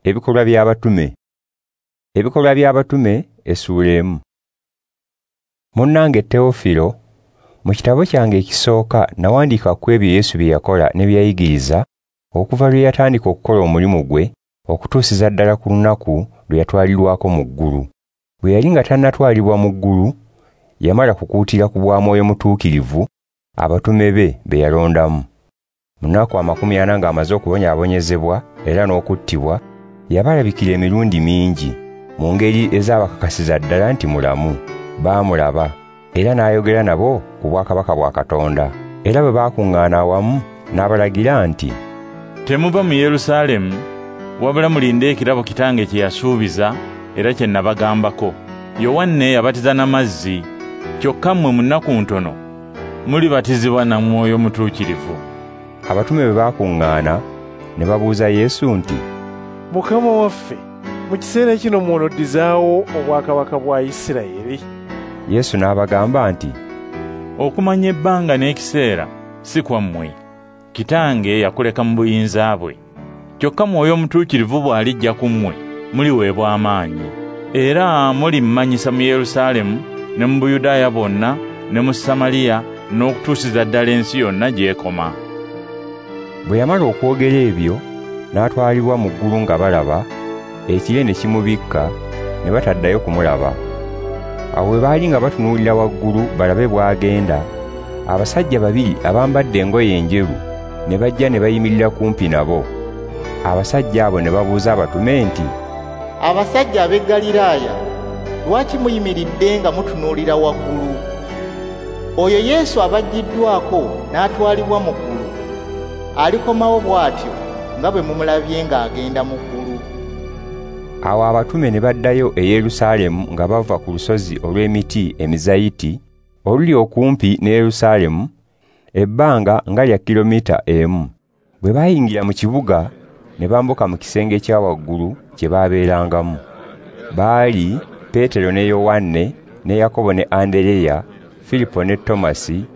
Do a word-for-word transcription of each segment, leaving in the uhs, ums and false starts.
Ebikolwa by'Abatume. Ebikolwa by'Abatume essuula emu. Munnange Teofilo, mu kitabo kyange ekisooka nawandiika ku ebyo Yesu bye yakola ne bye yayigiriza okuva lwe yatandika okukola omulimu gwe okutuusiza ddala ku lunaku lwe yatwalirwako mu ggulu. Bwe yali nga tannatwalibwa mu ggulu, yamala kukuutira ku bwa Mwoyo Mutuukirivu abatume be be yalondamu. Mu nnaku amakumi ana ng'amaze okubonyaabonyezebwa era n'okuttibwa, yabalabikira emirundi mingi mu ngeri ezaabakakasiza ddala nti mulamu. Baamulaba era n'ayogera nabo ku bwakabaka bwa Katonda. Era bwe baakuŋŋaana awamu n'abalagira nti, "Temuva mu Yerusaalemu, wabula mulinde ekirabo Kitange kye yasuubiza era kye nabagambako. Yowanne yabatiza n'amazzi, kyokka mmwe mu nnaku ntono mulibatizibwa na Mwoyo Mutuukirivu." Abatume bwe baakuŋŋaana ne babuuza Yesu nti, "Mukama waffe, mu kiseera kino mw'onoddizaawo obwakabaka bwa Isirayiri?" Yesu n'abagamba nti, "Okumanya ebbanga n'ekiseera si kwammwe. Kitange yakuleka mu buyinza bwe. Kyokka Mwoyo Mutuukirivu bw'alijja ku mmwe, muliweebwa amaanyi. Era mulimmanyisa mu Yerusaalemu ne mu Buyudaaya bwonna ne mu Samaliya n'okutuusiza ddala ensi yonna gy'ekoma." Bwe yamala okwogera ebyo, n'atwalibwa mu ggulu nga balaba, ekire ne kimubikka, ne bataddayo kumulaba. Awo bwe baali nga batunuulira waggulu balabe bw'agenda, abasajja babiri abambadde engoye enjeru ne bajja ne bayimirira kumpi nabo. Abasajja abo ne babuuza abatume nti, "Abasajja ab'e Ggaliraaya, lwaki muyimiridde nga mutunuulira waggulu? Oyo Yesu abaggiddwako n'atwalibwa mu ggulu, alikomawo bw'atyo nga bwe mumulabye ng'agenda mu ggulu." Awo abatume ne baddayo e Yerusaalemu nga bava ku lusozi olw'emiti emizayiti oluli okumpi ne Yerusaalemu, ebbanga nga lya kilomita emu. Bwe baayingira mu kibuga ne bambuka mu kisenge ekya waggulu kye baabeerangamu. Baali Peetero ne Yowanne ne Yakobo ne Andereya, Filipo ne Tomasi,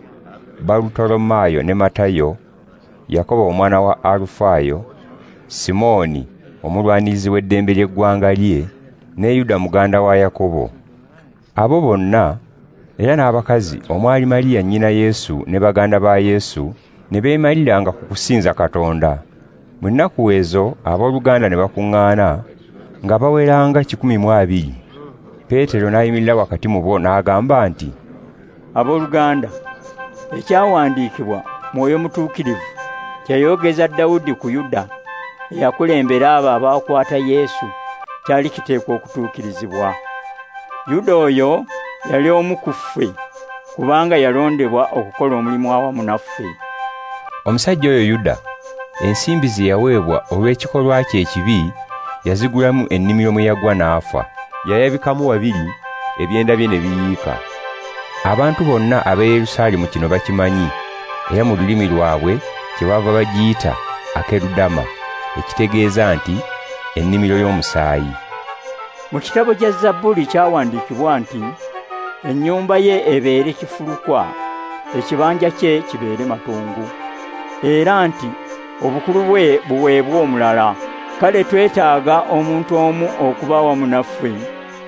Barutolomaayo ne Matayo, Yakobo omwana wa Alufaayo, Simooni omulwanirizi w'eddembe ly'eggwanga lye, ne Yuda muganda wa Yakobo. Abo bonna era n'abakazi omwali Mariya nnyina Yesu ne baganda ba Yesu ne beemaliranga ku kusinza Katonda. Mu nnaku ezo abooluganda ne bakuŋŋaana nga baweranga kikumi mu abiri. Peetero n'ayimirira wakati mu bo n'agamba nti, "Abooluganda, ekyawandiikibwa Mwoyo Mutuukirivu kyayogeza Dawudi ku Yuda eyakulembera abo abaakwata Yesu kyali kiteekwa okutuukirizibwa. Yuda oyo yali omu ku ffe, kubanga yalondebwa okukola omulimu awamu naffe." Omusajja oyo Yuda, ensimbi ze yaweebwa olw'ekikolwa kye ekibi, yazigulamu ennimiro mwe yagwa n'afa. Yayabikamu wabiri, ebyenda bye ne biyiika. Abantu bonna ab'e Yerusaalemu kino bakimanyi, era mu lulimi lwabwe kyebaava bagiyita Akerudama, ekitegeeza nti ennimiro y'omusaayi. Mu kitabo kya Zabbuli kyawandiikibwa nti, ennyumba ye ebeere kifulukwa, ekibanja kye kibeere matongo, era nti obukulu bwe buweebwe omulala. Kale twetaaga omuntu omu okuba awamu naffe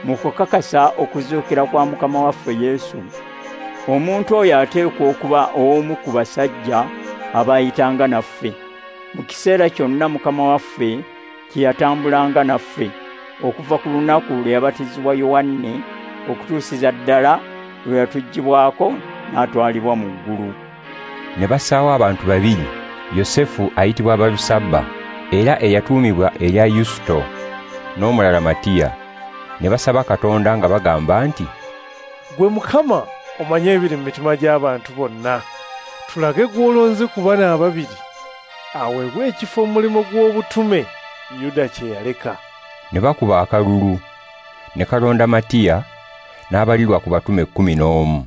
mu kukakasa okuzuukira kwa Mukama waffe Yesu. Omuntu oyo ateekwa okuba omu ku basajja abaayitanga naffe mu kiseera kyonna Mukama waffe kye yatambulanga naffe, okuva ku lunaku lwe yabatizibwa Yowanne okutuusiza ddala lwe yatuggyibwako n'atwalibwa mu ggulu. Ne bassaawo abantu babiri, Yosefu ayitibwa Balusaba era eyatuumibwa erya Yusuto, n'omulala Matiya. Ne basaba Katonda nga bagamba nti, "Gwe Mukama omanye ebiri mu mitima gy'abantu bonna, tulage gw'olonze ku bano ababiri aweebwe ekifo mu mulimu gw'obutume Yuda kye yaleka." Ne bakuba akalulu, ne kalonda Matiya n'abalirwa ku batume kkumi n'omu.